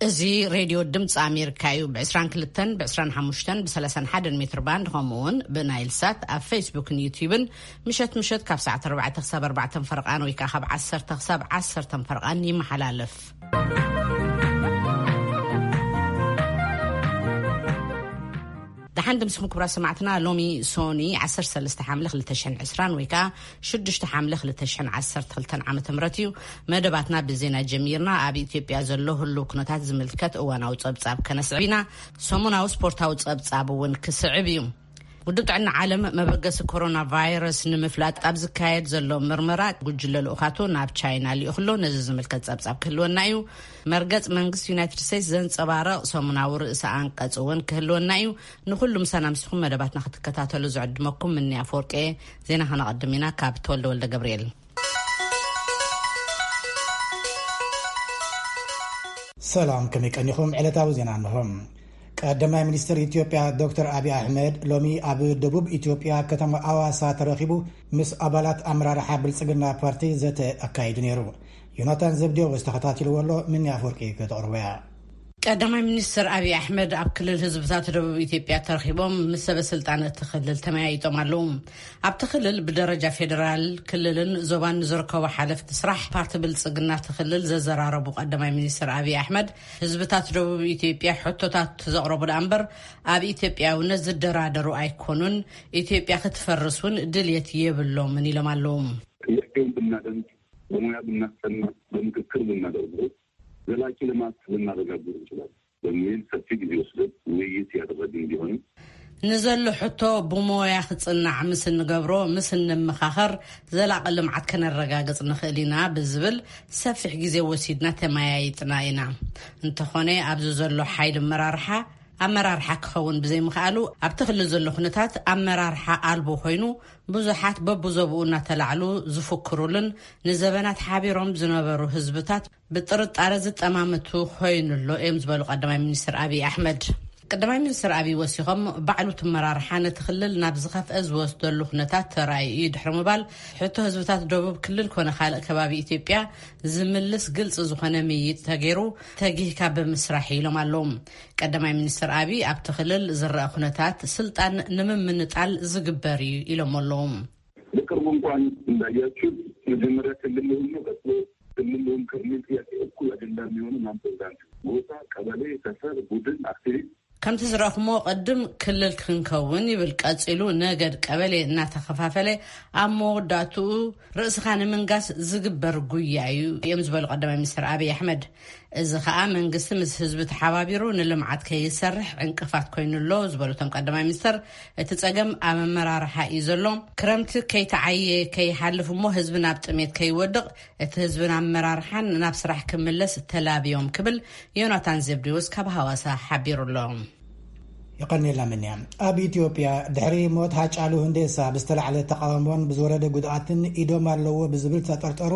እዚ ሬድዮ ድምፂ ኣሜሪካ እዩ። ብ22፣ ብ25፣ ብ31 ሜትር ባንድ፣ ከምኡ እውን ብናይል ሳት ኣብ ፌስቡክን ዩቲዩብን ምሸት ምሸት ካብ ሰዓት ኣርባዕተ ክሳብ ኣርባዕተ ፈርቓን ወይ ከዓ ካብ ዓሰርተ ክሳብ ዓሰርተ ፈርቓን ይመሓላለፍ። ደሓን ድምስኹም ክቡራት ሰማዕትና። ሎሚ ሶኒ ዓሰርተ ሰለስተ ሓምለ ክልተ ሽሕን ዕስራን ወይ ከዓ ሽዱሽተ ሓምለ ክልተ ሽሕን ዓሰርተ ክልተን ዓመተ ምህረት እዩ። መደባትና ብዜና ጀሚርና። ኣብ ኢትዮጵያ ዘሎ ህሉው ኩነታት ዝምልከት እዋናዊ ጸብጻብ ከነስዕብ ኢና። ሰሙናዊ ስፖርታዊ ጸብጻብ እውን ክስዕብ እዩ። ውድብ ጥዕና ዓለም መበገሲ ኮሮና ቫይረስ ንምፍላጥ ኣብ ዝካየድ ዘሎ ምርመራ ጉጅለ ልኡኻቱ ናብ ቻይና ልኢኹ ኣሎ። ነዚ ዝምልከት ጸብጻብ ክህልወና እዩ። መርገጽ መንግስቲ ዩናይትድ ስቴትስ ዘንጸባረቕ ሰሙናዊ ርእሰ ኣንቀጽ እውን ክህልወና እዩ። ንኹሉ ምሳና ምስኹም መደባትና ክትከታተሉ ዝዕድመኩም ምኒ ኣፈወርቂ። ዜና ከነቐድም ኢና ካብ ተወልደ ወልደ ገብርኤል። ሰላም፣ ከመይ ቀኒኹም? ዕለታዊ ዜና እንሆ። ቀዳማይ ሚኒስትር ኢትዮጵያ ዶክተር ኣብይ ኣሕመድ ሎሚ ኣብ ደቡብ ኢትዮጵያ ከተማ ኣዋሳ ተረኺቡ ምስ ኣባላት ኣመራርሓ ብልጽግና ፓርቲ ዘተ ኣካይዱ ነይሩ። ዮናታን ዘብዴዎስ ተኸታቲልዎ ኣሎ፣ ምኒ ኣፈወርቂ ከተቕርቦ እያ። ቀዳማይ ሚኒስትር ኣብይ ኣሕመድ ኣብ ክልል ህዝብታት ደቡብ ኢትዮጵያ ተረኺቦም ምስ ሰበ ስልጣን እቲ ክልል ተመያይጦም ኣለዉ። ኣብቲ ክልል ብደረጃ ፌዴራል፣ ክልልን ዞባን ንዝርከቡ ሓለፍቲ ስራሕ ፓርቲ ብልጽግና እቲ ክልል ዘዘራረቡ ቀዳማይ ሚኒስትር ኣብይ ኣሕመድ፣ ህዝብታት ደቡብ ኢትዮጵያ ሕቶታት ዘቕረቡ ደኣ እምበር ኣብ ኢትዮጵያውነት ዝደራደሩ ኣይኮኑን፣ ኢትዮጵያ ክትፈርስ እውን ድልየት የብሎምን ኢሎም ኣለዉ። ጥያቄውን ብናደምጥ፣ በሙያ ብናስጠና፣ በምክክር ብናደርገው ዘላቂ ልማት ልናረጋግጥ እንችላለን በሚል ሰፊ ጊዜ ወስደን ውይይት ያደረግን ቢሆንም፣ ንዘሎ ሕቶ ብሞያ ክጽናዕ ምስ እንገብሮ፣ ምስ እንመኻኸር ዘላቂ ልምዓት ከነረጋግጽ ንኽእል ኢና ብዝብል ሰፊሕ ግዜ ወሲድና ተመያይጥና ኢና። እንተኾነ ኣብዚ ዘሎ ሓይሊ ኣመራርሓ ኣመራርሓ ክኸውን ብዘይምኽኣሉ ኣብቲ ክልል ዘሎ ኩነታት ኣመራርሓ ኣልቦ ኮይኑ ብዙሓት በብዞብኡ እናተላዕሉ ዝፍክሩሉን ንዘበናት ሓቢሮም ዝነበሩ ህዝብታት ብጥርጣረ ዝጠማመቱ ኮይኑ ኣሎ እዮም ዝበሉ ቀዳማይ ሚኒስትር ኣብይ ኣሕመድ። ቀዳማይ ሚኒስትር ኣብይ ወሲኾም ባዕሉ እቲ ኣመራርሓ ነቲ ክልል ናብ ዝኸፍአ ዝወስደሉ ኩነታት ተራእዩ እዩ ድሕሪ ምባል ሕቶ ህዝብታት ደቡብ ክልል ኮነ ካልእ ከባቢ ኢትዮጵያ ዝምልስ ግልፂ ዝኾነ ምይይጥ ተገይሩ ተጊህካ ብምስራሕ ኢሎም ኣለዉ። ቀዳማይ ሚኒስትር ኣብይ ኣብቲ ክልል ዝረአ ኩነታት ስልጣን ንምምንጣል ዝግበር እዩ ኢሎም ኣለዉ። በቅርቡ እንኳን እንዳያችሁት መጀመሪያ ክልል ልሁን ነው፣ ቀጥሎ ክልል ልሁን ከሚል ጥያቄ እኩል አጀንዳ የሚሆኑ ማን ፕሬዚዳንት፣ ጎሳ፣ ቀበሌ፣ ሰፈር፣ ቡድን፣ አክቲቪስት ከምቲ ዝረእኹሞ ቅድም ክልል ክንከውን ይብል፣ ቀጺሉ ነገድ ቀበሌ እናተኸፋፈለ ኣብ መወዳእትኡ ርእስኻ ንምንጋስ ዝግበር ጉያ እዩ እዮም ዝበሉ ቀዳማይ ሚኒስትር ኣብይ ኣሕመድ። እዚ ከኣ መንግስቲ ምስ ህዝቢ ተሓባቢሩ ንልምዓት ከይሰርሕ ዕንቅፋት ኮይኑ ኣሎ ዝበሉ እቶም ቀዳማይ ሚኒስትር፣ እቲ ጸገም ኣብ ኣመራርሓ እዩ ዘሎ። ክረምቲ ከይተዓየ ከይሓልፍ እሞ ህዝቢ ናብ ጥሜት ከይወድቕ እቲ ህዝብን ኣመራርሓን ናብ ስራሕ ክምለስ ተላብዮም ክብል ዮናታን ዘብዴዎስ ካብ ሃዋሳ ሓቢሩ ኣሎ። የቐንየልና ምንያ። ኣብ ኢትዮጵያ ድሕሪ ሞት ሃጫሉ ሁንዴሳ ብዝተላዕለ ተቓውሞን ብዝወረደ ጉድኣትን ኢዶም ኣለዎ ብዝብል ዝተጠርጠሩ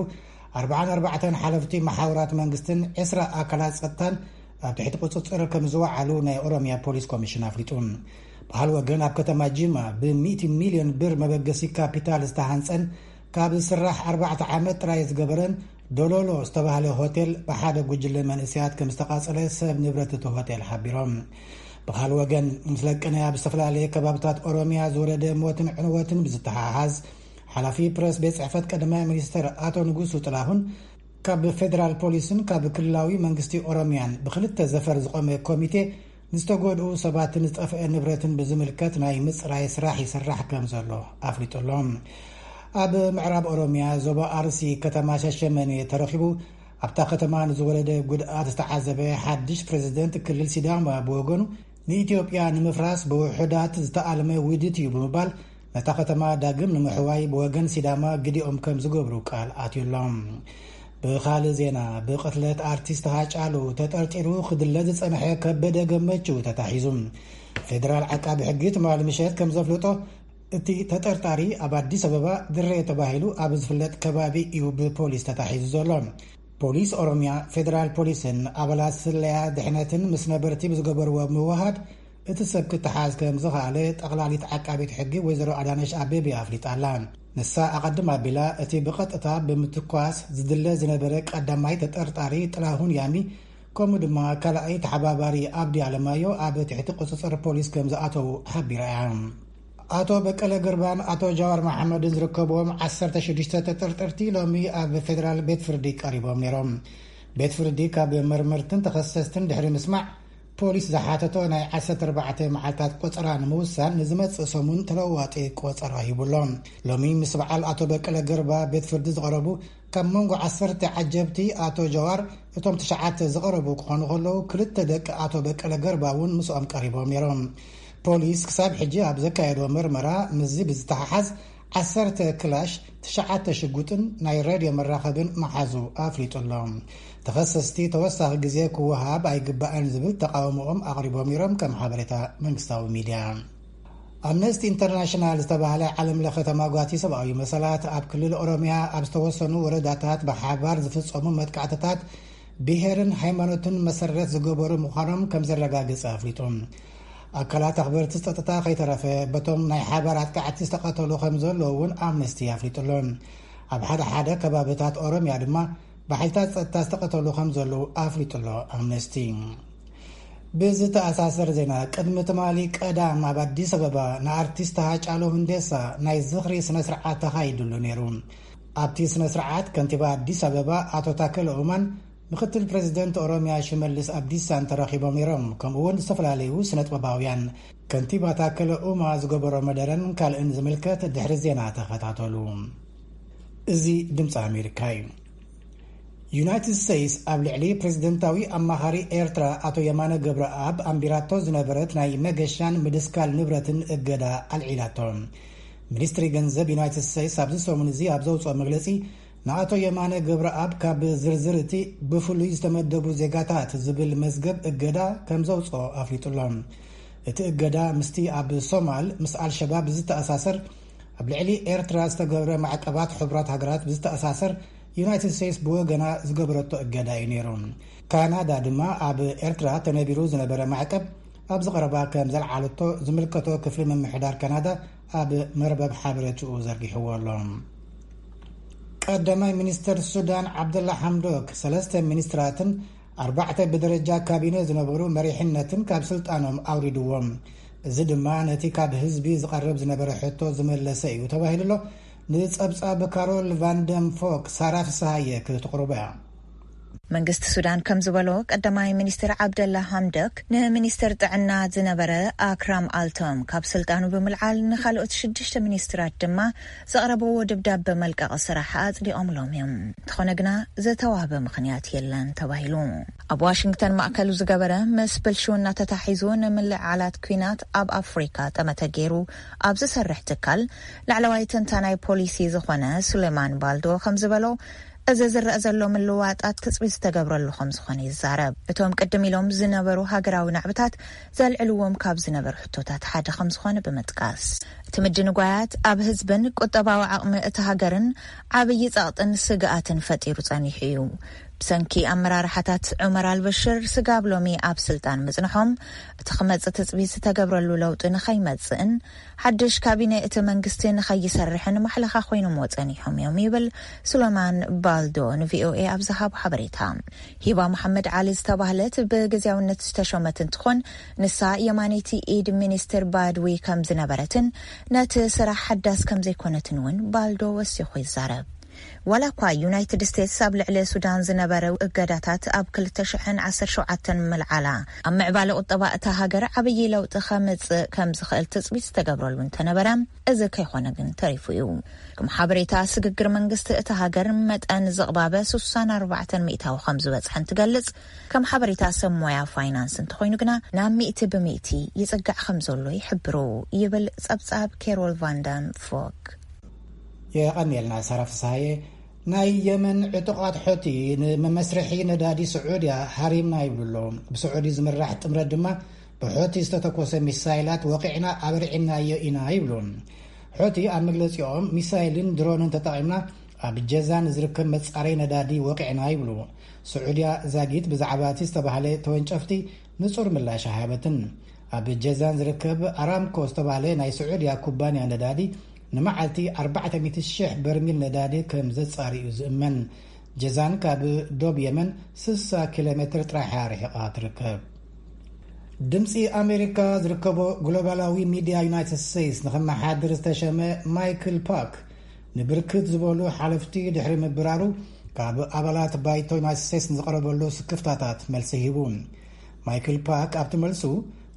ኣርባዓን ኣርባዕተን ሓለፍቲ መሓውራት መንግስትን ዕስራ ኣካላት ጸጥታን ኣብ ትሕቲ ቁጽጽር ከም ዝወዓሉ ናይ ኦሮሚያ ፖሊስ ኮሚሽን ኣፍሊጡ። በሃል ወገን ኣብ ከተማ ጂማ ብሚእቲ ሚልዮን ብር መበገሲ ካፒታል ዝተሃንጸን ካብ ዝስራሕ ኣርባዕተ ዓመት ጥራይ ዝገበረን ዶሎሎ ዝተባህለ ሆቴል ብሓደ ጉጅለ መንእሰያት ከም ዝተቓጸለ ሰብ ንብረት እቲ ሆቴል ሓቢሮም። ብኻል ወገን ምስ ለቅነ ኣብ ዝተፈላለየ ከባብታት ኦሮሚያ ዝወረደ ሞትን ዕንወትን ብዝተሓሓዝ ሓላፊ ፕረስ ቤት ጽሕፈት ቀዳማይ ሚኒስትር ኣቶ ንጉሱ ጥላሁን ካብ ፌደራል ፖሊስን ካብ ክልላዊ መንግስቲ ኦሮሚያን ብክልተ ዘፈር ዝቆመ ኮሚቴ ንዝተጎድኡ ሰባትን ዝጠፍአ ንብረትን ብዝምልከት ናይ ምጽራይ ስራሕ ይስራሕ ከም ዘሎ ኣፍሊጡ ኣሎ። ኣብ ምዕራብ ኦሮሚያ ዞባ ኣርሲ ከተማ ሻሸመኔ ተረኺቡ ኣብታ ከተማ ንዝወረደ ጉድኣት ዝተዓዘበ ሓድሽ ፕሬዝደንት ክልል ሲዳማ ብወገኑ ንኢትዮጵያ ንምፍራስ ብውሑዳት ዝተኣልመ ውዲት እዩ ብምባል ነታ ከተማ ዳግም ንምሕዋይ ብወገን ሲዳማ ግዲኦም ከም ዝገብሩ ቃል ኣትዩሎም። ብኻልእ ዜና ብቕትለት ኣርቲስት ሃጫሉ ተጠርጢሩ ክድለ ዝጸንሐ ከበደ ገመቹ ተታሒዙ። ፌደራል ዓቃቢ ሕጊ ትማሊ ምሸት ከም ዘፍለጦ እቲ ተጠርጣሪ ኣብ ኣዲስ ኣበባ ድሬ ተባሂሉ ኣብ ዝፍለጥ ከባቢ እዩ ብፖሊስ ተታሒዙ ዘሎ። ፖሊስ ኦሮሚያ፣ ፌደራል ፖሊስን ኣባላት ስለያ ድሕነትን ምስ ነበርቲ ብዝገበርዎ ምውሃድ እቲ ሰብ ክተሓዝ ከም ዝኸኣለ ጠቕላሊት ዓቃቢት ሕጊ ወይዘሮ ኣዳነሽ ኣቤቤ ኣፍሊጣ ኣላ። ንሳ ኣቐድም ኣቢላ እቲ ብቐጥታ ብምትኳስ ዝድለ ዝነበረ ቀዳማይ ተጠርጣሪ ጥላሁን ያሚ ከምኡ ድማ ካልኣይ ተሓባባሪ ኣብዲ ኣለማዮ ኣብ ትሕቲ ቁፅፅር ፖሊስ ከም ዝኣተዉ ሓቢራ እያ። ኣቶ በቀለ ገርባን ኣቶ ጃዋር መሓመድን ዝርከብዎም ዓሰርተ ሽዱሽተ ተጠርጠርቲ ሎሚ ኣብ ፌደራል ቤት ፍርዲ ቀሪቦም ነይሮም። ቤት ፍርዲ ካብ መርመርትን ተኸሰስትን ድሕሪ ምስማዕ፣ ፖሊስ ዝሓተቶ ናይ ዓሰርተ ኣርባዕተ መዓልታት ቆጸራ ንምውሳን ንዝመጽእ ሰሙን ተለዋዋጢ ቆጸራ ሂቡሎ። ሎሚ ምስ በዓል ኣቶ በቀለ ገርባ ቤት ፍርዲ ዝቐረቡ ካብ መንጎ ዓሰርተ ዓጀብቲ ኣቶ ጀዋር፣ እቶም ትሽዓተ ዝቐረቡ ክኾኑ ከለዉ፣ ክልተ ደቂ ኣቶ በቀለ ገርባ እውን ምስኦም ቀሪቦም ነይሮም። ፖሊስ ክሳብ ሕጂ ኣብ ዘካየዶ መርመራ ምስዚ ብዝተሓሓዝ ዓሰርተ ክላሽ፣ ትሽዓተ ሽጉጥን ናይ ሬድዮ መራኸብን መሓዙ ኣፍሊጡ ኣሎ። ተኸሰስቲ ተወሳኺ ግዜ ክወሃብ ኣይግባእን ዝብል ተቃውሞኦም ኣቕሪቦም ነይሮም፣ ከም ሓበሬታ መንግስታዊ ሚድያ። ኣምነስቲ ኢንተርናሽናል ዝተባህለ ዓለም ለኸ ተማጓቲ ሰብኣዊ መሰላት ኣብ ክልል ኦሮሚያ ኣብ ዝተወሰኑ ወረዳታት ብሓባር ዝፍጸሙ መጥቃዕትታት ብሄርን ሃይማኖትን መሰረት ዝገበሩ ምዃኖም ከም ዘረጋግጸ ኣፍሊጡ። ኣካላት ኣኽበርቲ ጸጥታ ከይተረፈ በቶም ናይ ሓባር ኣጥቃዕቲ ዝተቐተሉ ከም ዘለዉ እውን ኣምነስቲ ኣፍሊጡ ኣሎ። ኣብ ሓደ ሓደ ከባብታት ኦሮሚያ ድማ ብሓይልታት ጸጥታ ዝተቐተሉ ከም ዘለዉ ኣፍሊጡ ኣሎ ኣምነስቲ። ብዝተኣሳሰር ዜና፣ ቅድሚ ትማሊ ቀዳም ኣብ ኣዲስ ኣበባ ንኣርቲስት ሃጫሉ ሁንዴሳ ናይ ዝኽሪ ስነ ስርዓት ተኻይዱሉ ነይሩ። ኣብቲ ስነ ስርዓት ከንቲባ ኣዲስ ኣበባ ኣቶ ታከለ ኡማን፣ ምክትል ፕሬዚደንት ኦሮሚያ ሽመልስ ኣብዲሳን ተረኺቦም ነይሮም። ከምኡ እውን ዝተፈላለዩ ስነ ጥበባውያን። ከንቲባ ታከለ ኡማ ዝገበሮ መደረን ካልእን ዝምልከት ድሕሪ ዜና ተኸታተሉ። እዚ ድምፂ ኣሜሪካ እዩ። ዩናይትድ ስቴትስ ኣብ ልዕሊ ፕሬዚደንታዊ ኣማኻሪ ኤርትራ ኣቶ የማነ ገብረኣብ ኣንቢራቶ ዝነበረት ናይ መገሻን ምድስካል ንብረትን እገዳ ኣልዒላቶ። ሚኒስትሪ ገንዘብ ዩናይትድ ስቴትስ ኣብዚ ሰሙን እዚ ኣብ ዘውፅኦ መግለፂ፣ ንኣቶ የማነ ገብረኣብ ካብ ዝርዝር እቲ ብፍሉይ ዝተመደቡ ዜጋታት ዝብል መዝገብ እገዳ ከም ዘውፅኦ ኣፍሊጡ ኣሎ። እቲ እገዳ ምስቲ ኣብ ሶማል ምስ ኣልሸባብ ዝተኣሳሰር ኣብ ልዕሊ ኤርትራ ዝተገብረ ማዕቀባት ሕቡራት ሃገራት ብዝተኣሳሰር ዩናይትድ ስቴትስ ብወገና ዝገበረቶ እገዳ እዩ ነይሩ። ካናዳ ድማ ኣብ ኤርትራ ተነቢሩ ዝነበረ ማዕቀብ ኣብዚ ቀረባ ከም ዘልዓለቶ ዝምልከቶ ክፍሊ ምምሕዳር ካናዳ ኣብ መርበብ ሓበሬትኡ ዘርጊሕዎ ኣሎ። ቀዳማይ ሚኒስትር ሱዳን ዓብደላ ሓምዶክ ሰለስተ ሚኒስትራትን ኣርባዕተ ብደረጃ ካቢነ ዝነበሩ መሪሕነትን ካብ ስልጣኖም ኣውሪድዎም። እዚ ድማ ነቲ ካብ ህዝቢ ዝቐርብ ዝነበረ ሕቶ ዝመለሰ እዩ ተባሂሉ ኣሎ። ንጸብጻብ ካሮል ቫንደም ፎክ ሳራ ፍስሃየ ክትቕርቦ እያ። መንግስቲ ሱዳን ከም ዝበሎ፣ ቀዳማይ ሚኒስትር ዓብደላ ሃምደክ ንሚኒስትር ጥዕና ዝነበረ ኣክራም ኣልቶም ካብ ስልጣኑ ብምልዓል፣ ንኻልኦት ሽዱሽተ ሚኒስትራት ድማ ዘቕረብዎ ደብዳበ መልቀቒ ስራሕ ኣጽዲቖምሎም እዮም። እንተኾነ ግና፣ ዝተዋህበ ምኽንያት የለን ተባሂሉ። ኣብ ዋሽንግተን ማእከሉ ዝገበረ፣ ምስ ብልሽውና ተታሒዙ ንምልዕዓላት ኲናት ኣብ ኣፍሪካ ጠመተ ገይሩ ኣብ ዝሰርሕ ትካል ላዕለዋይ ተንታናይ ፖሊሲ ዝኾነ ሱሌማን ባልዶ ከም ዝበሎ፣ እዚ ዝረአ ዘሎ ምልዋጣት ትጽቢት ዝተገብረሉ ከም ዝኾነ ይዛረብ። እቶም ቅድም ኢሎም ዝነበሩ ሃገራዊ ናዕብታት ዘልዕልዎም ካብ ዝነበሩ ሕቶታት ሓደ ከም ዝኾነ ብምጥቃስ፣ እቲ ምድንጓያት ኣብ ህዝብን ቁጠባዊ ዓቕሚ እቲ ሃገርን ዓብዪ ጸቕጥን ስግኣትን ፈጢሩ ጸኒሑ እዩ። ብሰንኪ ኣመራርሓታት ዑመር ኣልበሽር ስጋብ ሎሚ ኣብ ስልጣን ምጽንሖም፣ እቲ ክመጽእ ትጽቢት ዝተገብረሉ ለውጢ ንኸይመጽእን ሓድሽ ካቢነ እቲ መንግስቲ ንኸይሰርሕን ማሕለኻ ኮይኖምዎ ጸኒሖም እዮም ይብል ሱለማን ባልዶ ንቪኦኤ ኣብ ዝሃቦ ሓበሬታ። ሂባ መሓመድ ዓሊ ዝተባህለት ብግዝያውነት ዝተሾመት እንትኾን፣ ንሳ የማነይቲ ኢድ ሚኒስትር ባድዊ ከም ዝነበረትን ነቲ ስራሕ ሓዳስ ከም ዘይኮነትን እውን ባልዶ ወሲኹ ይዛረብ። ዋላ እኳ ዩናይትድ ስቴትስ ኣብ ልዕሊ ሱዳን ዝነበረ እገዳታት ኣብ ክልተ ሽሕን ዓሰርተ ሸውዓተን ምልዓላ፣ ኣብ ምዕባለ ቁጠባ እታ ሃገር ዓብዪ ለውጢ ከምጽእ ከም ዝኽእል ትጽቢት ዝተገብረሉ እንተነበረ፣ እዚ ከይኾነ ግን ተሪፉ እዩ። ከም ሓበሬታ ስግግር መንግስቲ እታ ሃገር፣ መጠን ዝቕባበ ስሳን ኣርባዕተን ሚእታዊ ከም ዝበጽሐ እንትገልጽ፣ ከም ሓበሬታ ሰብ ሞያ ፋይናንስ እንተኾይኑ ግና፣ ናብ ሚእቲ ብሚእቲ ይጽጋዕ ከም ዘሎ ይሕብሩ ይብል ጸብጻብ ኬሮል ቫንዳም ፎክ። የቐንየልና ሳራ ፍስሃየ። ናይ የመን ዕጡቓት ሖቲ ንመመስርሒ ነዳዲ ስዑድያ ሃሪምና ይብሉ ኣለዉ። ብስዑዲ ዝምራሕ ጥምረት ድማ፣ ብሖቲ ዝተተኮሰ ሚሳይላት ወቒዕና ኣብርዒናዮ ኢና ይብሉ። ሖቲ ኣብ መግለጺኦም፣ ሚሳይልን ድሮንን ተጠቒምና ኣብ ጀዛን ዝርከብ መጻረይ ነዳዲ ወቒዕና ይብሉ። ስዑድያ ዛጊት ብዛዕባ እቲ ዝተባህለ ተወንጨፍቲ ንጹር ምላሽ ኣይሃበትን። ኣብ ጀዛን ዝርከብ ኣራምኮ ዝተባህለ ናይ ስዑድያ ኩባንያ ነዳዲ ንመዓልቲ ኣርባዕተ ሚእቲ ሽሕ በርሚል ነዳዲ ከም ዘጻሪ እዩ ዝእመን። ጀዛን ካብ ዶብ የመን ስሳ ኪሎ ሜትር ጥራሕ እያ ርሒቓ ትርከብ። ድምፂ ኣሜሪካ ዝርከቦ ግሎባላዊ ሚድያ ዩናይትድ ስቴትስ ንኽመሓድር ዝተሸመ ማይክል ፓክ ንብርክት ዝበሉ ሓለፍቲ ድሕሪ ምብራሩ፣ ካብ ኣባላት ባይቶ ዩናይትድ ስቴትስ ንዝቐረበሉ ስክፍታታት መልሲ ሂቡ። ማይክል ፓክ ኣብቲ መልሱ፣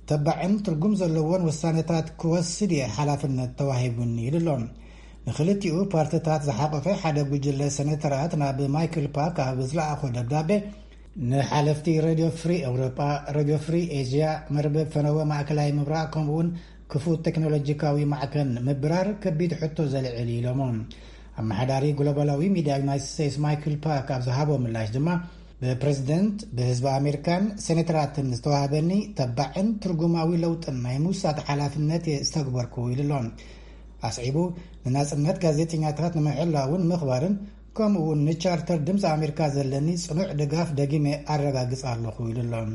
ተባዕን ትርጉም ዘለዎን ውሳነታት ክወስድ እየ ሓላፍነት ተዋሂቡኒ ኢሉ ኣሎ። ንክልቲኡ ፓርትታት ዝሓቆፈ ሓደ ጉጅለ ሰነተራት ናብ ማይክል ፓክ ኣብ ዝለኣኾ ደብዳቤ፣ ንሓለፍቲ ሬድዮ ፍሪ ኤውሮጳ፣ ሬድዮ ፍሪ ኤዥያ፣ መርበብ ፈነወ ማእከላይ ምብራቕ፣ ከምኡውን ክፉት ቴክኖሎጂካዊ ማዕከን ምብራር ከቢድ ሕቶ ዘልዕል እዩ ኢሎሞ። ኣመሓዳሪ ግሎባላዊ ሚድያ ዩናይትድ ስቴትስ ማይክል ፓክ ኣብ ዝሃቦ ምላሽ ድማ፣ ብፕሬዝደንት፣ ብህዝቢ ኣሜሪካን ሴኔተራትን ዝተዋህበኒ ተባዕን ትርጉማዊ ለውጥን ናይ ምውሳድ ሓላፍነት እየ ዝተግበርኩ ኢሉ ኣሎ። ኣስዒቡ፣ ንናጽነት ጋዜጠኛታት ንምሕላውን ምኽባርን፣ ከምኡ እውን ንቻርተር ድምፂ ኣሜሪካ ዘለኒ ጽኑዕ ድጋፍ ደጊመ ኣረጋግጽ ኣለኹ ኢሉ ኣሎ።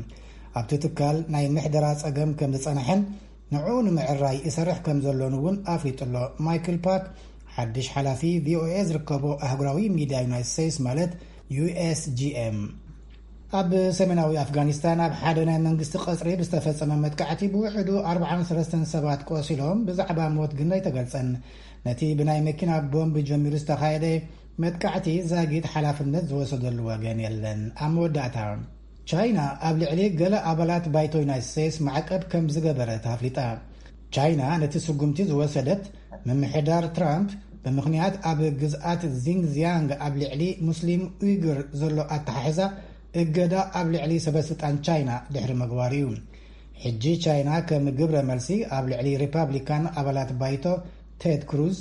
ኣብቲ ትካል ናይ ምሕደራ ጸገም ከም ዝጸንሐን ንዕኡ ንምዕራይ ይሰርሕ ከም ዘሎን እውን ኣፍሊጡ ኣሎ። ማይክል ፓክ፣ ሓድሽ ሓላፊ ቪኦኤ ዝርከቦ ኣህጉራዊ ሚድያ ዩናይትድ ስቴትስ፣ ማለት ዩ ኤስ ጂ ኤም። ኣብ ሰሜናዊ ኣፍጋኒስታን ኣብ ሓደ ናይ መንግስቲ ቀጽሪ ብዝተፈጸመ መጥቃዕቲ ብውሕዱ ኣርብዓን ሰለስተን ሰባት ቆሲሎም፣ ብዛዕባ ሞት ግን ኣይተገልጸን። ነቲ ብናይ መኪና ቦምብ ጀሚሩ ዝተኻየደ መጥቃዕቲ ዛጊት ሓላፍነት ዝወሰደሉ ወገን የለን። ኣብ መወዳእታ፣ ቻይና ኣብ ልዕሊ ገለ ኣባላት ባይቶ ዩናይትድ ስቴትስ ማዕቀብ ከም ዝገበረት ኣፍሊጣ። ቻይና ነቲ ስጉምቲ ዝወሰደት፣ ምምሕዳር ትራምፕ ብምኽንያት ኣብ ግዝኣት ዚንግዚያንግ ኣብ ልዕሊ ሙስሊም ኡይጉር ዘሎ ኣተሓሕዛ እገዳ ኣብ ልዕሊ ሰበስልጣን ቻይና ድሕሪ ምግባሩ እዩ። ሕጂ ቻይና ከም ግብረ መልሲ ኣብ ልዕሊ ሪፓብሊካን ኣባላት ባይቶ ቴድ ክሩዝ፣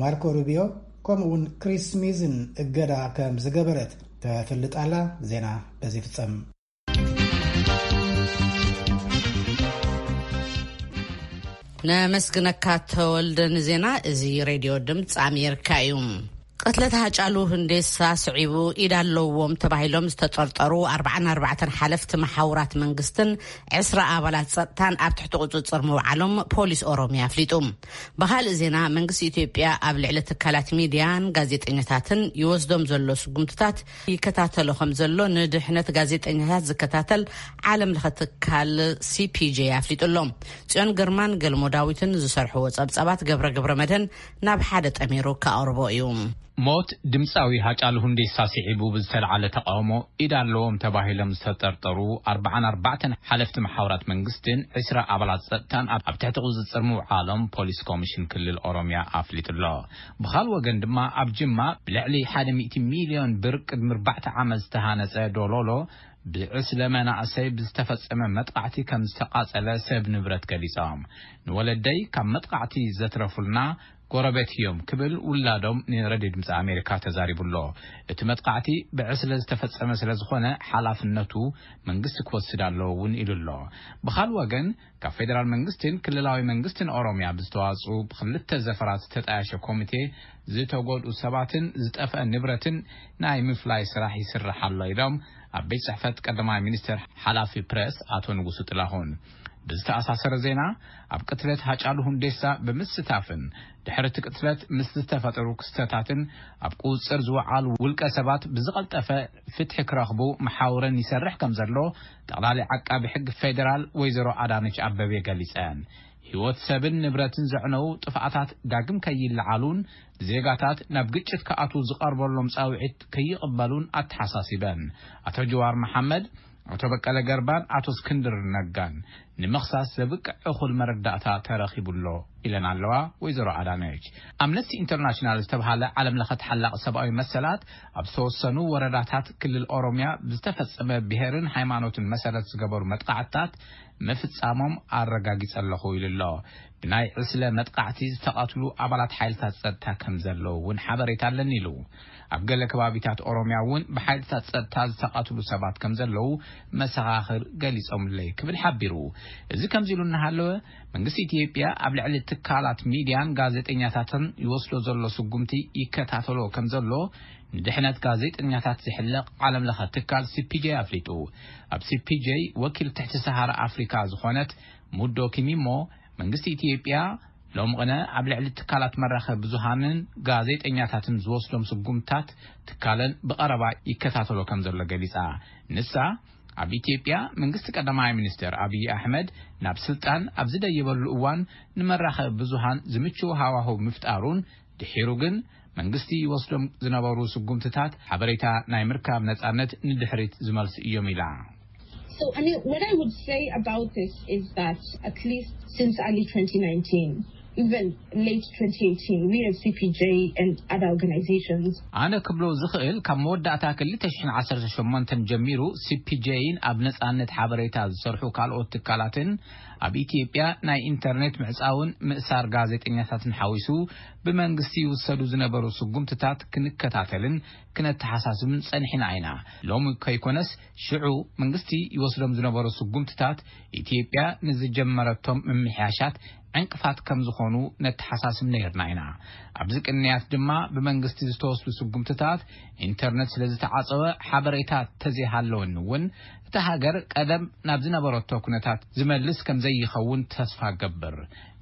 ማርኮ ሩቢዮ፣ ከምኡውን ክሪስ ስሚዝን እገዳ ከም ዝገበረት ተፍልጥ ኣላ። ዜና በዚ ይፍጸም። ነመስግነካ ተወልደ ንዜና። እዚ ሬድዮ ድምፂ ኣሜሪካ እዩ። ቅትለት ሃጫሉ ሁንዴሳ ስዒቡ ኢድ ኣለዎም ተባሂሎም ዝተጠርጠሩ ኣርባዓን ኣርባዕተን ሓለፍቲ መሓውራት መንግስትን ዕስራ ኣባላት ጸጥታን ኣብ ትሕቲ ቁጽጽር ምውዓሎም ፖሊስ ኦሮሚያ ኣፍሊጡ። ብኻልእ ዜና፣ መንግስቲ ኢትዮጵያ ኣብ ልዕሊ ትካላት ሚድያን ጋዜጠኛታትን ይወስዶም ዘሎ ስጉምትታት ይከታተሎ ከም ዘሎ ንድሕነት ጋዜጠኛታት ዝከታተል ዓለም ለኸ ትካል ሲ ፒ ጄ ኣፍሊጡ ኣሎ። ጽዮን ግርማን ገልሞ ዳዊትን ዝሰርሕዎ ጸብጻባት ገብረ ገብረ መድህን ናብ ሓደ ጠሚሩ ከኣቕርቦ እዩ። ሞት ድምፃዊ ሃጫሉ ሁንዴሳ ስዒቡ ብዝተለዓለ ተቃውሞ ኢድ ኣለዎም ተባሂሎም ዝተጠርጠሩ ኣርባዓን ኣርባዕተን ሓለፍቲ መሓውራት መንግስትን ዕስራ ኣባላት ጸጥታን ኣብ ኣብ ትሕቲ ቁጽጽር ምውዓሎም ፖሊስ ኮሚሽን ክልል ኦሮሚያ ኣፍሊጡ ኣሎ። ብኻል ወገን ድማ ኣብ ጅማ ብልዕሊ ሓደ ሚእቲ ሚልዮን ብር ቅድሚ ኣርባዕተ ዓመት ዝተሃነጸ ዶሎሎ ብዕስለ መናእሰይ ብዝተፈጸመ መጥቃዕቲ ከም ዝተቃጸለ ሰብ ንብረት ገሊጾም። ንወለደይ ካብ መጥቃዕቲ ዘትረፉልና ጎረቤት እዮም ክብል ውላዶም ንሬድዮ ድምፂ ኣሜሪካ ተዛሪቡ ኣሎ። እቲ መጥቃዕቲ ብዕስለ ዝተፈጸመ ስለ ዝኾነ ሓላፍነቱ መንግስቲ ክወስድ ኣለዎ እውን ኢሉ ኣሎ። ብኻል ወገን ካብ ፌዴራል መንግስትን ክልላዊ መንግስትን ኦሮሚያ ብዝተዋፅኡ ብክልተ ዘፈራት ዝተጣየሸ ኮሚቴ ዝተጎድኡ ሰባትን ዝጠፍአ ንብረትን ናይ ምፍላይ ስራሕ ይስራሕ ኣሎ ኢሎም ኣብ ቤት ጽሕፈት ቀዳማይ ሚኒስትር ሓላፊ ፕረስ ኣቶ ንጉሱ ጥላሁን። ብዝተኣሳሰረ ዜና፣ ኣብ ቅትለት ሃጫሉ ሁንዴሳ ብምስታፍን ድሕሪ እቲ ቅትለት ምስ ዝተፈጠሩ ክስተታትን ኣብ ቁጽጽር ዝወዓሉ ውልቀ ሰባት ብዝቐልጠፈ ፍትሒ ክረኽቡ መሓውረን ይሰርሕ ከም ዘሎ ጠቕላሊ ዓቃቢ ሕግ ፌዴራል ወይዘሮ ኣዳነች ኣበቤ ገሊጸን። ህይወት ሰብን ንብረትን ዘዕነው ጥፍኣታት ዳግም ከይለዓሉን ዜጋታት ናብ ግጭት ክኣትዉ ዝቐርበሎም ጻውዒት ከይቕበሉን ኣተሓሳሲበን። ኣቶ ጀዋር መሓመድ፣ ኣቶ በቀለ ገርባን ኣቶ እስክንድር ነጋን ንምኽሳስ ዘብቅዕ እኹል መረዳእታ ተረኺቡ ኣሎ ኢለን ኣለዋ ወይዘሮ ኣዳነች። ኣምነስቲ ኢንተርናሽናል ዝተብሃለ ዓለም ለኸ ተሓላቒ ሰብኣዊ መሰላት ኣብ ዝተወሰኑ ወረዳታት ክልል ኦሮሚያ ብዝተፈጸመ ብሄርን ሃይማኖትን መሰረት ዝገበሩ መጥቃዕትታት ምፍጻሞም ኣረጋጊጸ ኣለኹ ኢሉ ኣሎ። ብናይ ዕስለ መጥቃዕቲ ዝተቐትሉ ኣባላት ሓይልታት ጸጥታ ከም ዘለዉ እውን ሓበሬታ ኣለኒ ኢሉ። ኣብ ገለ ከባቢታት ኦሮሚያ እውን ብሓይልታት ጸጥታ ዝተቐትሉ ሰባት ከም ዘለዉ መሰኻኽር ገሊጾምለይ ክብል ሓቢሩ። እዚ ከምዚ ኢሉ እናሃለወ መንግስቲ ኢትዮጵያ ኣብ ልዕሊ ትካላት ሚድያን ጋዜጠኛታትን ይወስዶ ዘሎ ስጉምቲ ይከታተሎ ከም ዘሎ ንድሕነት ጋዜጠኛታት ዝሕለቕ ዓለም ለኸ ትካል ሲ ፒ ጄ ኣፍሊጡ። ኣብ ሲ ፒ ጄ ወኪል ትሕቲ ሰሃራ ኣፍሪካ ዝኾነት ሙዶ ኪሚሞ መንግስቲ ኢትዮጵያ ሎም ቕነ ኣብ ልዕሊ ትካላት መራኸቢ ብዙሃንን ጋዜጠኛታትን ዝወስዶም ስጉምታት ትካለን ብቐረባ ይከታተሎ ከም ዘሎ ገሊጻ። ንሳ ኣብ ኢትዮጵያ መንግስቲ ቀዳማይ ሚኒስትር ኣብይ ኣሕመድ ናብ ስልጣን ኣብ ዝደየበሉ እዋን ንመራኸቢ ብዙሃን ዝምችው ሃዋህው ምፍጣሩን ድሒሩ ግን መንግስቲ ይወስዶም ዝነበሩ ስጉምትታት ሓበሬታ ናይ ምርካብ ነጻነት ንድሕሪት ዝመልሱ እዮም ኢላ። So, I mean, what I would say about this is that at least since early twenty nineteen, even late twenty eighteen, we at C P J and other organizations. ኣነ ክብሎ ዝኽእል ካብ መወዳእታ ክልተ ሽሕን ዓሰርተ ሸሞንተን ጀሚሩ ሲፒጄይን ኣብ ነጻነት ሓበሬታ ዝሰርሑ ካልኦት ትካላትን ኣብ ኢትዮጵያ ናይ ኢንተርኔት ምዕጻውን ምእሳር ጋዜጠኛታትን ሓዊሱ ብመንግስቲ ይውሰዱ ዝነበሩ ስጉምትታት ክንከታተልን ክነተሓሳስብን ጸኒሕና ኢና። ሎሚ ከይኮነስ ሽዑ መንግስቲ ይወስዶም ዝነበሩ ስጉምትታት ኢትዮጵያ ንዝጀመረቶም ምምሕያሻት ዕንቅፋት ከም ዝኾኑ ነተሓሳስብ ነይርና ኢና። ኣብዚ ቅንያት ድማ ብመንግስቲ ዝተወስዱ ስጉምትታት ኢንተርነት ስለ ዝተዓጸወ ሓበሬታ ተዘይሃለወኒ እውን እታ ሃገር ቀደም ናብ ዝነበረቶ ኩነታት ዝመልስ ከም ዘይኸውን ተስፋ ገብር።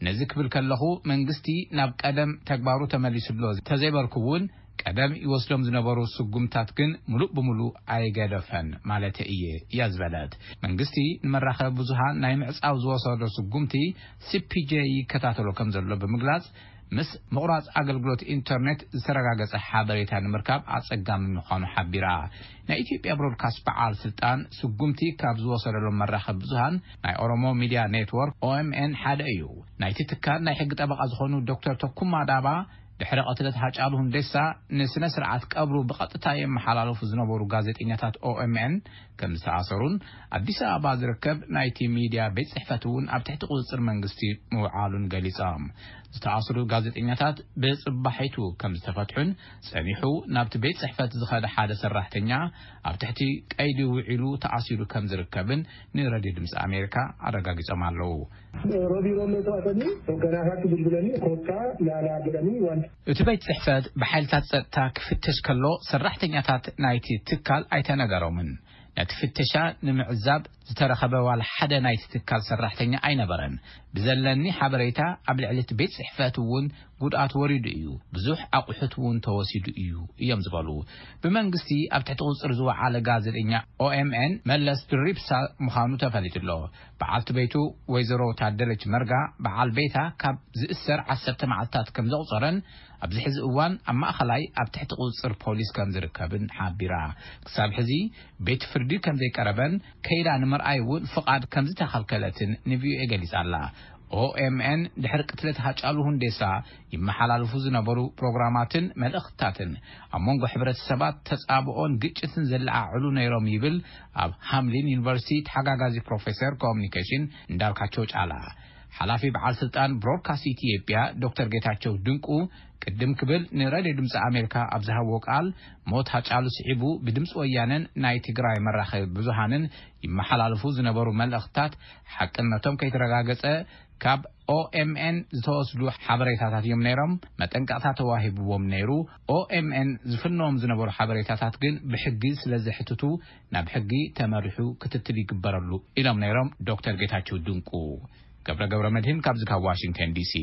ነዚ ክብል ከለኹ መንግስቲ ናብ ቀደም ተግባሩ ተመሊሱሎ ተዘይበርኩ እውን ቀደም ይወስዶም ዝነበሩ ስጉምታት ግን ምሉእ ብምሉእ ኣይገደፈን ማለት እየ እያ ዝበለት። መንግስቲ ንመራኸቢ ብዙሃን ናይ ምዕጻው ዝወሰዶ ስጉምቲ ሲፒጄ ይከታተሎ ከም ዘሎ ብምግላጽ ምስ ምቑራጽ ኣገልግሎት ኢንተርኔት ዝተረጋገጸ ሓበሬታ ንምርካብ ኣጸጋሚ ምዃኑ ሓቢራ። ናይ ኢትዮጵያ ብሮድካስት በዓል ስልጣን ስጉምቲ ካብ ዝወሰደሎም መራኸቢ ብዙሃን ናይ ኦሮሞ ሚድያ ኔትወርክ ኦኤምኤን ሓደ እዩ። ናይቲ ትካል ናይ ሕጊ ጠበቓ ዝኾኑ ዶክተር ተኩማ ዳባ ድሕሪ ቅትለት ሃጫሉ ሁንዴሳ ንስነ ስርዓት ቀብሩ ብቐጥታ የመሓላለፉ ዝነበሩ ጋዜጠኛታት ኦኤምኤን ከም ዝተኣሰሩን ኣዲስ ኣበባ ዝርከብ ናይቲ ሚድያ ቤት ጽሕፈት እውን ኣብ ትሕቲ ቁጽጽር መንግስቲ ምውዓሉን ገሊጾም። ዝተኣስሩ ጋዜጠኛታት ብጽባሒቱ ከም ዝተፈትሑን ጸኒሑ ናብቲ ቤት ጽሕፈት ዝኸደ ሓደ ሰራሕተኛ ኣብ ትሕቲ ቀይዲ ውዒሉ ተኣሲሩ ከም ዝርከብን ንረድዮ ድምፂ ኣሜሪካ ኣረጋጊጾም ኣለዉ። ሮቢሮም ተዋሰኒ ወገናታት ብልብለኒ ኮታ ላላ ብለኒ ዋን እቲ ቤት ጽሕፈት ብሓይልታት ጸጥታ ክፍተሽ ከሎ ሰራሕተኛታት ናይቲ ትካል ኣይተነገሮምን። ነቲ ፍተሻ ንምዕዛብ ዝተረኸበ ዋላ ሓደ ናይቲ ትካል ሰራሕተኛ ኣይነበረን። ብዘለኒ ሓበሬታ ኣብ ልዕሊ እቲ ቤት ጽሕፈት እውን ጉድኣት ወሪዱ እዩ፣ ብዙሕ ኣቑሑት እውን ተወሲዱ እዩ እዮም ዝበሉ። ብመንግስቲ ኣብ ትሕቲ ቁጽጽር ዝወዓለ ጋዜጠኛ ኦኤምኤን መለስ ድሪብሳ ምዃኑ ተፈሊጡ ኣሎ። በዓልቲ ቤቱ ወይዘሮ ታደለች መርጋ በዓል ቤታ ካብ ዝእሰር ዓሰርተ መዓልታት ከም ዘቑጸረን ኣብዚ ሕዚ እዋን ኣብ ማእኸላይ ኣብ ትሕቲ ቁጽጽር ፖሊስ ከም ዝርከብን ሓቢራ። ክሳብ ሕዚ ቤት ፍርዲ ከም ዘይቀረበን ከይዳ ንምርኣይ እውን ፍቓድ ከም ዝተኸልከለትን ንቪኦኤ ገሊጻ ኣላ። ኦኤምኤን ድሕሪ ቅትለት ሃጫሉ ሁንዴሳ ይመሓላልፉ ዝነበሩ ፕሮግራማትን መልእኽትታትን ኣብ መንጎ ሕብረተሰባት ተጻብኦን ግጭትን ዘለዓዕሉ ነይሮም ይብል ኣብ ሃምሊን ዩኒቨርሲቲ ተሓጋጋዚ ፕሮፌሰር ኮሙኒኬሽን እንዳልካቸው ጫላ። ሓላፊ በዓል ስልጣን ብሮድካስት ኢትዮጵያ ዶክተር ጌታቸው ድንቁ ቅድም ክብል ንሬድዮ ድምፂ ኣሜሪካ ኣብ ዝሃብዎ ቃል ሞት ሃጫሉ ስዒቡ ብድምፂ ወያነን ናይ ትግራይ መራኸቢ ብዙሃንን ይመሓላለፉ ዝነበሩ መልእኽትታት ሓቅነቶም ከይተረጋገፀ ካብ ኦኤምኤን ዝተወስዱ ሓበሬታታት እዮም ነይሮም። መጠንቀቕታ ተዋሂብዎም ነይሩ። ኦኤምኤን ዝፍንዎም ዝነበሩ ሓበሬታታት ግን ብሕጊ ስለ ዘሕትቱ ናብ ሕጊ ተመሪሑ ክትትል ይግበረሉ ኢሎም ነይሮም ዶክተር ጌታቸው ድንቁ። ገብረ ገብረ መድህን ካብዚ ካብ ዋሽንግተን ዲሲ።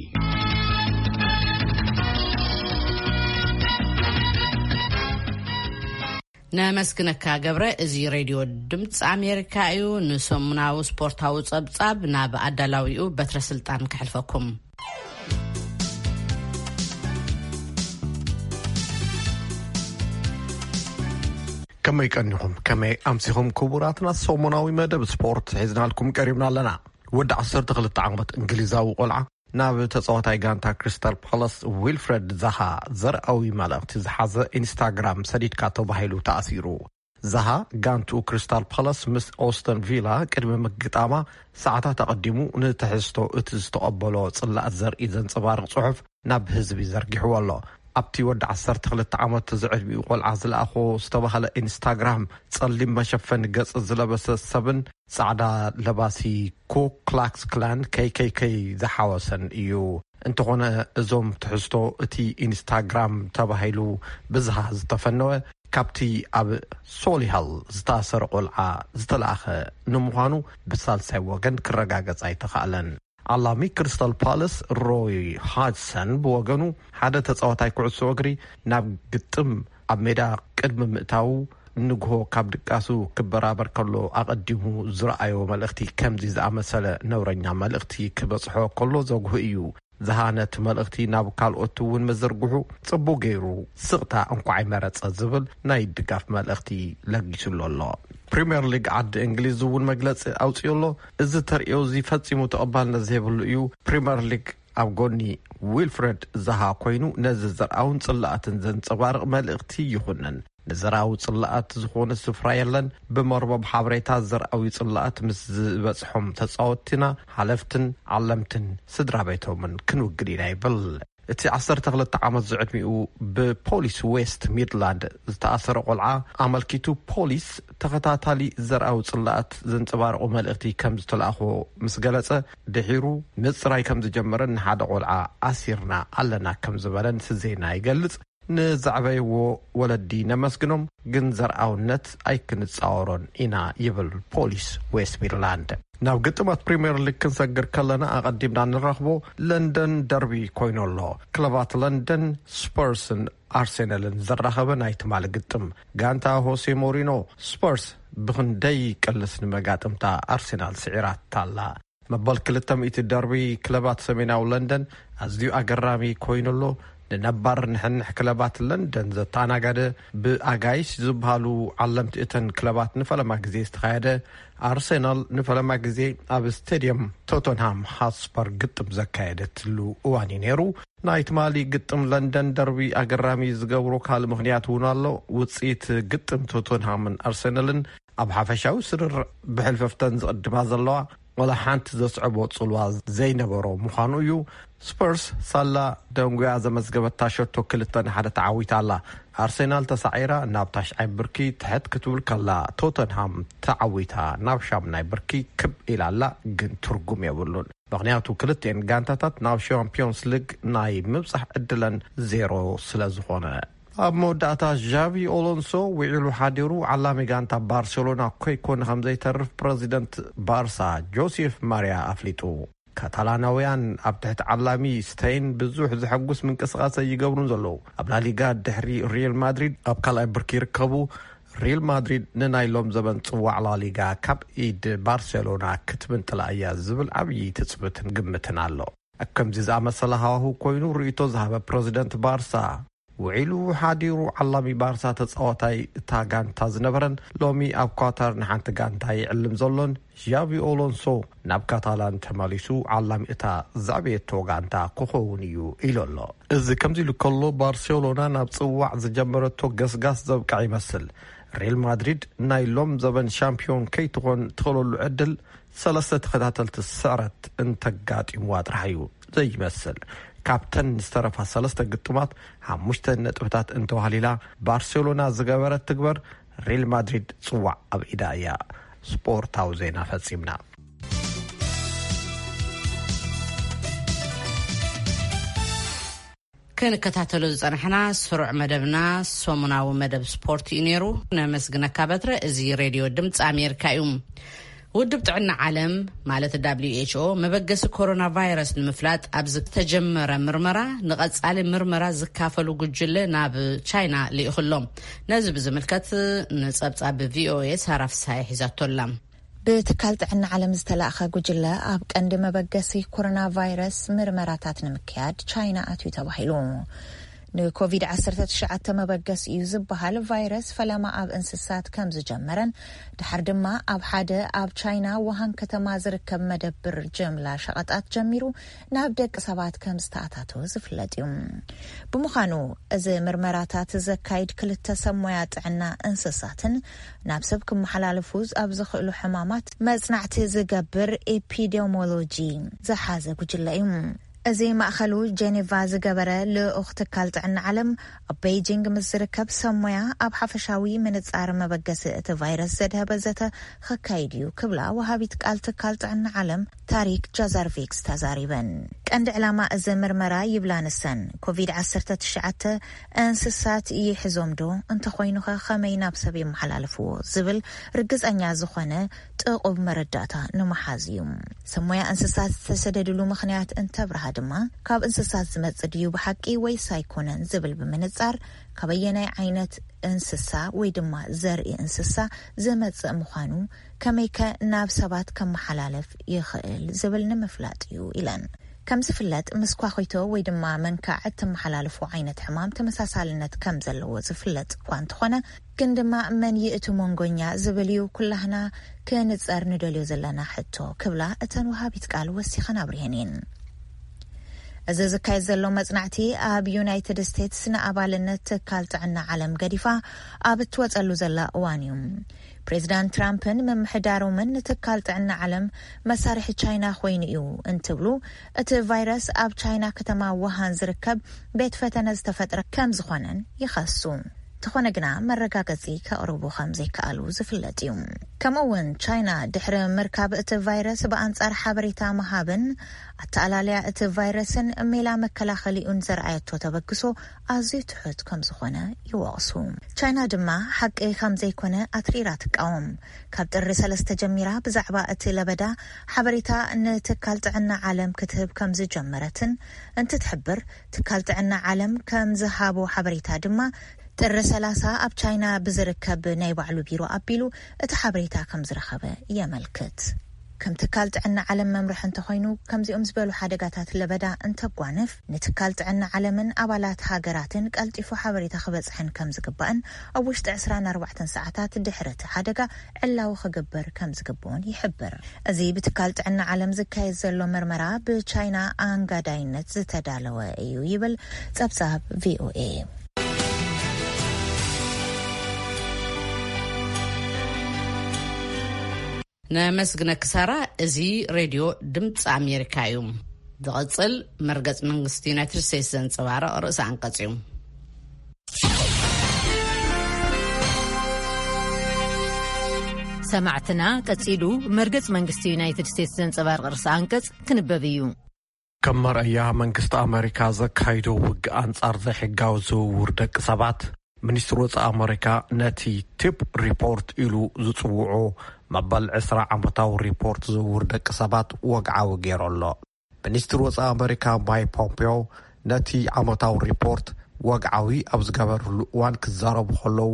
ነመስግነካ ገብረ። እዚ ሬድዮ ድምፂ ኣሜሪካ እዩ። ንሰሙናዊ ስፖርታዊ ጸብጻብ ናብ ኣዳላዊኡ በትረ ስልጣን ከሕልፈኩም። ከመይ ቀኒኹም፣ ከመይ ኣምሲኹም ክቡራትና? ሰሙናዊ መደብ ስፖርት ሒዝናልኩም ቀሪብና ኣለና። ወዲ ዓሰርተ ክልተ ዓመት እንግሊዛዊ ቆልዓ ናብ ተጻዋታይ ጋንታ ክሪስታል ፓላስ ዊልፍረድ ዛሃ ዘርኣዊ መልእኽቲ ዝሓዘ ኢንስታግራም ሰዲድካ ተባሂሉ ተኣሲሩ። ዛሃ ጋንቱ ክሪስታል ፓላስ ምስ ኦስተን ቪላ ቅድሚ ምግጣማ ሰዓታት ኣቐዲሙ ንትሕዝቶ እቲ ዝተቐበሎ ጽላእት ዘርኢ ዘንጸባርቕ ጽሑፍ ናብ ህዝቢ ዘርጊሕዎ ኣሎ። ኣብቲ ወዲ ዓሰርተ ክልተ ዓመት ዝዕድሚኡ ቆልዓ ዝለኣኾ ዝተባህለ ኢንስታግራም፣ ጸሊም መሸፈኒ ገጽ ዝለበሰ ሰብን ጻዕዳ ለባሲ ኩ ክላክስ ክላን፣ ኬይ ኬይ ኬይ፣ ዝሓወሰን እዩ። እንተኾነ እዞም ትሕዝቶ እቲ ኢንስታግራም ተባሂሉ ብዝሃ ዝተፈነወ ካብቲ ኣብ ሶሊሃል ዝተኣሰረ ቆልዓ ዝተለኣኸ ንምዃኑ ብሳልሳይ ወገን ክረጋገጽ ኣይተኻእለን። ዓላሚ ክሪስታል ፓለስ ሮይ ሃድሰን ብወገኑ፣ ሓደ ተጻዋታይ ኩዕሶ እግሪ ናብ ግጥም ኣብ ሜዳ ቅድሚ ምእታዉ፣ ንግሆ ካብ ድቃሱ ክበራበር ከሎ ኣቐዲሙ ዝረኣዮ መልእኽቲ ከምዚ ዝኣመሰለ ነውረኛ መልእኽቲ ክበጽሖ ከሎ ዘጉህ እዩ። ዝሃነት መልእኽቲ ናብ ካልኦት እውን ምዝርግሑ ጽቡቕ ገይሩ፣ ስቕታ እንኳዕ ኣይመረጸ ዝብል ናይ ድጋፍ መልእኽቲ ለጊሱሉ ኣሎ። ፕሪምየር ሊግ ዓዲ እንግሊዝ እውን መግለጺ ኣውጺኡ ኣሎ። እዚ ተርእዮ እዚ ፈጺሙ ተቐባልነት ዘይብሉ እዩ። ፕሪምየር ሊግ ኣብ ጎኒ ዊልፍረድ ዛሃ ኮይኑ፣ ነዚ ዘርኣውን ጽላኣትን ዘንጸባርቕ መልእኽቲ ይኹንን። ንዘርኣዊ ጽላኣት ዝኾነ ስፍራ የለን። ብመርበብ ሓበሬታ ዘርኣዊ ጽላኣት ምስ ዝበጽሖም ተጻወትቲና፣ ሓለፍትን ዓለምትን ስድራ ቤቶምን ክንውግድ ኢና ይብል። እቲ ዓሰርተ ክልተ ዓመት ዝዕድሚኡ ብፖሊስ ዌስት ሚድላንድ ዝተኣሰረ ቆልዓ ኣመልኪቱ፣ ፖሊስ ተኸታታሊ ዘርኣዊ ጽላኣት ዘንጸባርቑ መልእኽቲ ከም ዝተላእኾ ምስ ገለጸ፣ ድሒሩ ምጽራይ ከም ዝጀመረን ንሓደ ቆልዓ ኣሲርና ኣለና ከም ዝበለን እቲ ዜና ይገልጽ። ንዘዕበይዎ ወለዲ ነመስግኖም፣ ግን ዘርኣውነት ኣይክንጻወሮን ኢና ይብል ፖሊስ ዌስት ሚድላንድ። ናብ ግጥማት ፕሪምየር ሊግ ክንሰግር ከለና፣ ኣቐዲምና ንረኽቦ ለንደን ደርቢ ኮይኑ ኣሎ። ክለባት ለንደን ስፐርስን ኣርሴናልን ዘራኸበ ናይ ትማሊ ግጥም፣ ጋንታ ሆሴ ሞሪኖ ስፐርስ ብኽንደይ ቅልስ ንመጋጥምታ ኣርሴናል ስዒራታ ኣላ። መበል ክልተ ሚእቲ ደርቢ ክለባት ሰሜናዊ ለንደን ኣዝዩ ኣገራሚ ኮይኑ ኣሎ። ንነባር ንሕንሕ ክለባት ለንደን ዘተኣናጋደ፣ ብኣጋይሽ ዝበሃሉ ዓለምቲ እተን ክለባት ንፈለማ ግዜ ዝተኻየደ፣ ኣርሴናል ንፈለማ ግዜ ኣብ ስቴድየም ቶተንሃም ሃትስፐር ግጥም ዘካየደትሉ እዋን እዩ ነይሩ። ናይ ትማሊ ግጥም ለንደን ደርቢ ኣገራሚ ዝገብሮ ካልእ ምኽንያት እውን ኣሎ። ውጽኢት ግጥም ቶተንሃምን ኣርሰናልን ኣብ ሓፈሻዊ ስርርዕ ብሕልፈፍተን ዝቕድማ ዘለዋ፣ ወላ ሓንቲ ዘስዕቦ ጽልዋ ዘይነበሮ ምዃኑ እዩ። ስፐርስ ሳላ ደንጉያ ዘመዝገበታ ሸቶ ክልተ ንሓደ ተዓዊታ ኣላ። ኣርሰናል ተሳዒራ ናብ ታሽዓይ ብርኪ ትሕት ክትብል ከላ፣ ቶተንሃም ተዓዊታ ናብ ሻምናይ ብርኪ ክብ ኢላ ኣላ፣ ግን ትርጉም የብሉን። ምኽንያቱ ክልቲኤን ጋንታታት ናብ ሻምፒዮንስ ሊግ ናይ ምብጻሕ ዕድለን ዜሮ ስለ ዝኾነ። ኣብ መወዳእታ ዣቪ ኦሎንሶ ውዒሉ ሓዲሩ ዓላሚ ጋንታ ባርሴሎና ኮይኮነ ከም ዘይተርፍ ፕረዚደንት ባርሳ ጆሴፍ ማርያ ኣፍሊጡ። ካታላናውያን ኣብ ትሕቲ ዓላሚ ስተይን ብዙሕ ዘሐጉስ ምንቅስቓስ ኣይገብሩን ዘለዉ። ኣብ ላሊጋ ድሕሪ ሪል ማድሪድ ኣብ ካልኣይ ብርኪ ይርከቡ። ሪል ማድሪድ ንናይ ሎም ዘበን ጽዋዕ ላሊጋ ካብ ኢድ ባርሴሎና ክትምንጥላ እያ ዝብል ዓብዪ ትጽብትን ግምትን ኣሎ። ኣብ ከምዚ ዝኣመሰለ ሃዋህው ኮይኑ ርእይቶ ዝሃበ ፕረዚደንት ባርሳ፣ ውዒሉ ሓዲሩ ዓላሚ ባርሳ ተጻዋታይ እታ ጋንታ ዝነበረን ሎሚ ኣብ ኳታር ንሓንቲ ጋንታ ይዕልም ዘሎን ዣቪ ኦሎንሶ ናብ ካታላን ተመሊሱ ዓላሚ እታ ዘዕበየቶ ጋንታ ክኸውን እዩ ኢሉ ኣሎ። እዚ ከምዚ ኢሉ ከሎ፣ ባርሴሎና ናብ ጽዋዕ ዝጀመረቶ ገስጋስ ዘብቅዐ ይመስል። ሪል ማድሪድ ናይ ሎም ዘበን ሻምፒዮን ከይትኾን ትኽእለሉ ዕድል ሰለስተ ተኸታተልቲ ስዕረት እንተጋጢምዋ ጥራሕ እዩ ዘይመስል። ካብተን ዝተረፋ ሰለስተ ግጥማት ሓሙሽተ ነጥብታት እንተዋህሊላ ባርሴሎና ዝገበረት ትግበር፣ ሪል ማድሪድ ጽዋዕ ኣብ ኢዳ እያ። ስፖርታዊ ዜና ፈጺምና። ክንከታተሎ ዝጸናሕና ስሩዕ መደብና ሰሙናዊ መደብ ስፖርት እዩ ነይሩ። ነመስግነካ በትረ። እዚ ሬድዮ ድምፂ ኣሜሪካ እዩ። ውድብ ጥዕና ዓለም ማለት ደብሊው ኤች ኦ መበገሲ ኮሮና ቫይረስ ንምፍላጥ ኣብ ዝተጀመረ ምርመራ ንቐጻሊ ምርመራ ዝካፈሉ ጉጅለ ናብ ቻይና ልኢኹሎም። ነዚ ብዝምልከት ንጸብጻብ ቪኦኤ ሳራ ፍሳሐ ሒዛቶላ። ብትካል ጥዕና ዓለም ዝተላእኸ ጉጅለ ኣብ ቀንዲ መበገሲ ኮሮና ቫይረስ ምርመራታት ንምክያድ ቻይና ኣትዩ ተባሂሉ። ንኮቪድ ዓሰርተ ትሽዓተ መበገሲ እዩ ዝበሃል ቫይረስ ፈለማ ኣብ እንስሳት ከም ዝጀመረን ድሓር ድማ ኣብ ሓደ ኣብ ቻይና ውሃን ከተማ ዝርከብ መደብር ጀምላ ሸቐጣት ጀሚሩ ናብ ደቂ ሰባት ከም ዝተኣታተወ ዝፍለጥ እዩ። ብምዃኑ እዚ ምርመራታት ዘካይድ ክልተ ሰብ ሞያ ጥዕና እንስሳትን ናብ ሰብ ክመሓላለፉ ኣብ ዝኽእሉ ሕማማት መጽናዕቲ ዝገብር ኤፒዴሞሎጂ ዝሓዘ ጉጅለ እዩ። እዚ ማእኸሉ ጄኔቫ ዝገበረ ልኡኽ ትካል ጥዕና ዓለም ኣብ ቤይጂንግ ምስ ዝርከብ ሰብ ሞያ ኣብ ሓፈሻዊ ምንጻር መበገሲ እቲ ቫይረስ ዘድሀበ ዘተ ክካይድ እዩ ክብላ ወሃቢት ቃል ትካል ጥዕና ዓለም ታሪክ ጃዛርቪክስ ተዛሪበን። ቀንዲ ዕላማ እዚ ምርመራ ይብላ ንሰን፣ ኮቪድ ዓሰርተ ትሽዓተ እንስሳት ይሕዞም ዶ፣ እንተኾይኑኸ ከመይ ናብ ሰብ የመሓላልፍዎ ዝብል ርግጸኛ ዝኾነ ጥቑብ መረዳእታ ንምሓዝ እዩ። ሰብ ሞያ እንስሳት ዝተሰደድሉ ምኽንያት እንተብርሃ ድማ፣ ካብ እንስሳት ዝመጽእ ድዩ ብሓቂ ወይስ ኣይኮነን ዝብል ብምንጻር፣ ካበየናይ ዓይነት እንስሳ ወይ ድማ ዘርኢ እንስሳ ዝመጽእ ምዃኑ፣ ከመይከ ናብ ሰባት ከመሓላለፍ ይኽእል ዝብል ንምፍላጥ እዩ ኢለን። ከም ዝፍለጥ፣ ምስ ኳኺቶ ወይ ድማ መንካዕ እትመሓላልፎ ዓይነት ሕማም ተመሳሳልነት ከም ዘለዎ ዝፍለጥ እኳ እንተኾነ፣ ግን ድማ መን እዩ እቲ መንጎኛ ዝብል እዩ ኩላህና ክንጸር ንደልዮ ዘለና ሕቶ ክብላ እተን ወሃቢት ቃል ወሲኸን ኣብሪሀን እየን። እዚ ዝካየድ ዘሎ መጽናዕቲ ኣብ ዩናይትድ ስቴትስ ንኣባልነት ትካል ጥዕና ዓለም ገዲፋ ኣብ እትወጸሉ ዘላ እዋን እዩ። ፕሬዚዳንት ትራምፕን ምምሕዳሮምን ንትካል ጥዕና ዓለም መሳርሒ ቻይና ኮይኑ እዩ እንትብሉ፣ እቲ ቫይረስ ኣብ ቻይና ከተማ ውሃን ዝርከብ ቤት ፈተነ ዝተፈጥረ ከም ዝኾነን ይኸሱ። እንተኾነ ግና መረጋገጺ ከቕርቡ ከም ዘይከኣሉ ዝፍለጥ እዩ። ከምኡ እውን ቻይና ድሕሪ ምርካብ እቲ ቫይረስ ብኣንጻር ሓበሬታ ምሃብን ኣተኣላለያ እቲ ቫይረስን ሜላ መከላኸሊኡን ዘርኣየቶ ተበግሶ ኣዝዩ ትሑት ከም ዝኾነ ይወቕሱ። ቻይና ድማ ሓቂ ከም ዘይኮነ ኣትሪራ ትቃወም። ካብ ጥሪ ሰለስተ ጀሚራ ብዛዕባ እቲ ለበዳ ሓበሬታ ንትካል ጥዕና ዓለም ክትህብ ከም ዝጀመረትን እንትትሕብር፣ ትካል ጥዕና ዓለም ከም ዝሃቦ ሓበሬታ ድማ ጥሪ ሰላሳ ኣብ ቻይና ብዝርከብ ናይ ባዕሉ ቢሮ ኣቢሉ እቲ ሓበሬታ ከም ዝረኸበ የመልክት። ከም ትካል ጥዕና ዓለም መምርሒ እንተኾይኑ፣ ከምዚኦም ዝበሉ ሓደጋታት ለበዳ እንተጓንፍ፣ ንትካል ጥዕና ዓለምን ኣባላት ሃገራትን ቀልጢፉ ሓበሬታ ክበጽሐን ከም ዝግባእን ኣብ ውሽጢ ዕስራን ኣርባዕተን ሰዓታት ድሕሪ እቲ ሓደጋ ዕላዊ ክግበር ከም ዝግብኦን ይሕብር። እዚ ብትካል ጥዕና ዓለም ዝካየድ ዘሎ መርመራ ብቻይና ኣንጋዳይነት ዝተዳለወ እዩ ይብል ጸብጻብ ቪኦኤ። ነመስግነኪ ሳራ። እዚ ሬድዮ ድምፂ ኣሜሪካ እዩ። ዝቐፅል መርገፂ መንግስቲ ዩናይትድ ስቴትስ ዘንፀባርቕ ርእሰ ኣንቀፅ እዩ። ሰማዕትና፣ ቀጺሉ መርገጽ መንግስቲ ዩናይትድ ስቴትስ ዘንጸባርቕ ርእሰ ኣንቀጽ ክንበብ እዩ። ከም መርኣያ መንግስቲ ኣመሪካ ዘካይዶ ውግእ ኣንጻር ዘይሕጋዊ ዝውውር ደቂ ሰባት፣ ሚኒስትሪ ወጻኢ ኣመሪካ ነቲ ቲፕ ሪፖርት ኢሉ ዝጽውዖ መበል ዕስራ ዓመታዊ ሪፖርት ዝውውር ደቂ ሰባት ወግዓዊ ገይሩ ኣሎ። ሚኒስትሪ ወጻኢ ኣመሪካ ማይክ ፖምፔዮ ነቲ ዓመታዊ ሪፖርት ወግዓዊ ኣብ ዝገበርሉ እዋን ክዛረቡ ከለዉ፣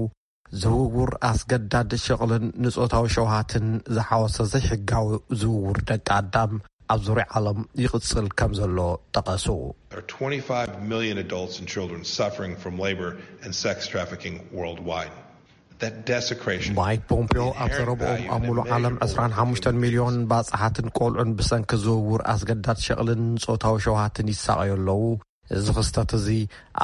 ዝውውር ኣስገዳድ ሸቕልን ንጾታዊ ሸውሃትን ዝሓወሰ ዘይሕጋዊ ዝውውር ደቂ ኣዳም ኣብ ዙርያ ዓለም ይቕጽል ከም ዘሎ ጠቐሱ። There are twenty-five million adults and children suffering from labor and sex trafficking worldwide. That desecration ማይክ ፖምፒዮ ኣብ ዘረብኦም ኣብ ሙሉእ ዓለም ዕስራን ሓሙሽተን ሚልዮን ባጽሓትን ቆልዑን ብሰንኪ ዝውውር ኣስገዳድ ሸቕልን ጾታዊ ሸውሃትን ይሳቐዩ ኣለዉ። እዚ ክስተት እዚ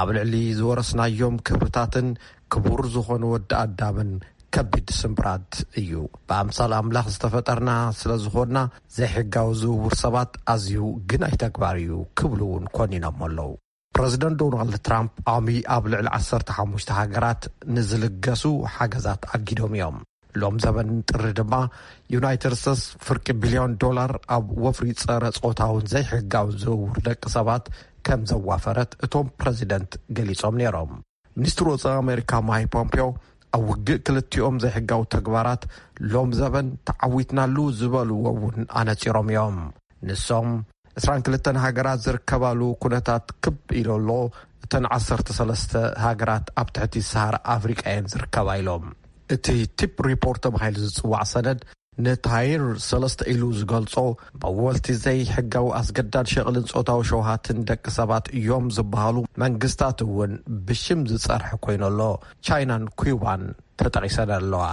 ኣብ ልዕሊ ዝወረስናዮም ክብርታትን ክቡር ዝኾነ ወዲ ኣዳምን ከቢድ ስምብራት እዩ። ብኣምሳል ኣምላኽ ዝተፈጠርና ስለ ዝኾንና፣ ዘይሕጋዊ ዝውውር ሰባት ኣዝዩ ግናይ ተግባር እዩ ክብሉ እውን ኮኒኖም ኣለዉ። ፕረዚደንት ዶናልድ ትራምፕ ሎሚ ኣብ ልዕሊ ዓሰርተ ሓሙሽተ ሃገራት ንዝልገሱ ሓገዛት ኣጊዶም እዮም። ሎም ዘበን ጥሪ ድማ ዩናይትድ ስቴትስ ፍርቂ ቢልዮን ዶላር ኣብ ወፍሪ ጸረ ጾታውን ዘይሕጋውን ዝውውር ደቂ ሰባት ከም ዘዋፈረት እቶም ፕረዚደንት ገሊጾም ነይሮም። ሚኒስትሪ ወጻኢ ኣሜሪካ ማይክ ፖምፒዮ ኣብ ውግእ ክልቲኦም ዘይሕጋዊ ተግባራት ሎም ዘበን ተዓዊትናሉ ዝበልዎ እውን ኣነጺሮም እዮም። ንሶም ዕስራን ክልተን ሃገራት ዝርከባሉ ኩነታት ክብ ኢሉ ኣሎ። እተን ዓሰርተ ሰለስተ ሃገራት ኣብ ትሕቲ ሰሃራ ኣፍሪቃ እየን ዝርከባ ኢሎም። እቲ ቲፕ ሪፖርት ተባሂሉ ዝጽዋዕ ሰነድ ንታይር ሰለስተ ኢሉ ዝገልጾ መወልቲ ዘይሕጋዊ ኣስገዳድ ሸቕልን ጾታዊ ሸውሃትን ደቂ ሰባት እዮም ዝበሃሉ መንግስታት እውን ብሽም ዝጸርሐ ኮይኑ ኣሎ። ቻይናን ኩባን ተጠቒሰን ኣለዋ።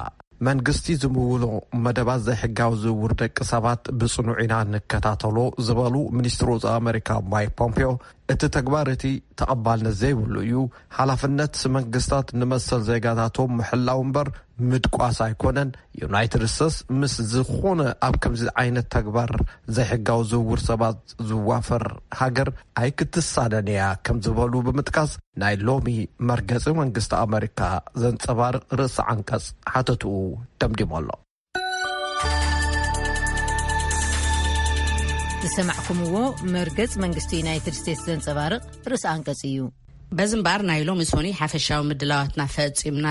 መንግስቲ ዝምውሎ መደባት ዘይሕጋዊ ዝውውር ደቂ ሰባት ብጽኑዕ ኢና ንከታተሎ ዝበሉ ሚኒስትሪ ወጻኢ ኣመሪካ ማይክ ፖምፒዮ፣ እቲ ተግባር እቲ ተቐባልነት ዘይብሉ እዩ። ሓላፍነት መንግስታት ንመሰል ዜጋታቶም ምሕላው እምበር ምድቋስ ኣይኮነን። ዩናይትድ ስቴትስ ምስ ዝኾነ ኣብ ከምዚ ዓይነት ተግባር ዘይሕጋዊ ዝውውር ሰባት ዝዋፈር ሃገር ኣይክትሳነን እያ ከም ዝበሉ ብምጥቃስ ናይ ሎሚ መርገጺ መንግስቲ ኣመሪካ ዘንጸባርቕ ርእሲ ዓንቀጽ ሓተትኡ ደምዲሞ ኣሎ። ዝሰማዕኩምዎ መርገጽ መንግስቲ ዩናይትድ ስቴትስ ዘንጸባርቕ ርእሲ ኣንቀጽ እዩ። በዚ እምበኣር ናይ ሎሚ ሶኒ ሓፈሻዊ ምድላዋትና ፈጺምና።